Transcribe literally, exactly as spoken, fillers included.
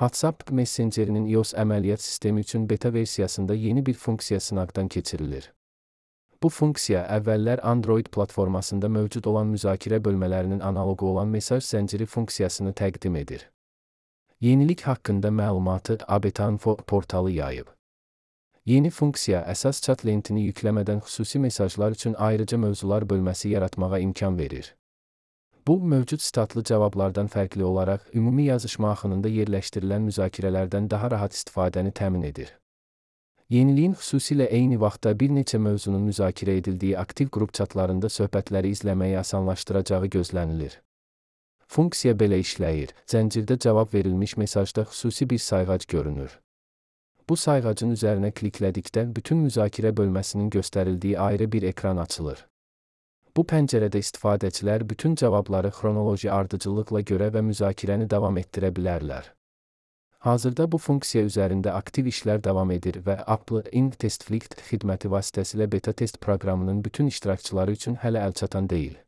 WhatsApp Messengerinin iOS əməliyyat sistemi üçün beta versiyasında yeni bir funksiya sınaqdan keçirilir. Bu funksiya əvvəllər Android platformasında mövcud olan müzakirə bölmələrinin analoqu olan mesaj zənciri funksiyasını təqdim edir. Yenilik haqqında məlumatı A B T Info portalı yayıb. Yeni funksiya əsas chat lentini yükləmədən xüsusi mesajlar üçün ayrıca mövzular bölməsi yaratmağa imkan verir. Bu, mövcud statlı cavablardan fərqli olaraq ümumi yazışma axınında yerləşdirilən müzakirələrdən daha rahat istifadəni təmin edir. Yeniliyin xüsusilə eyni vaxtda bir neçə mövzunun müzakirə edildiyi aktiv qrup chatlarında söhbətləri izləməyi asanlaşdıracağı gözlənilir. Funksiya belə işləyir: zəncirdə cavab verilmiş mesajda xüsusi bir sayğac görünür. Bu sayğacın üzərinə kliklədikdə bütün müzakirə bölməsinin göstərildiyi ayrı bir ekran açılır. Bu pəncərədə istifadəçilər bütün cavabları xronoloji ardıcıllıqla görə və müzakirəni davam etdirə bilərlər. Hazırda bu funksiya üzərində aktiv işlər davam edir və Apple Ink Test Flight xidməti vasitəsilə beta test proqramının bütün iştirakçıları üçün hələ əlçatan deyil.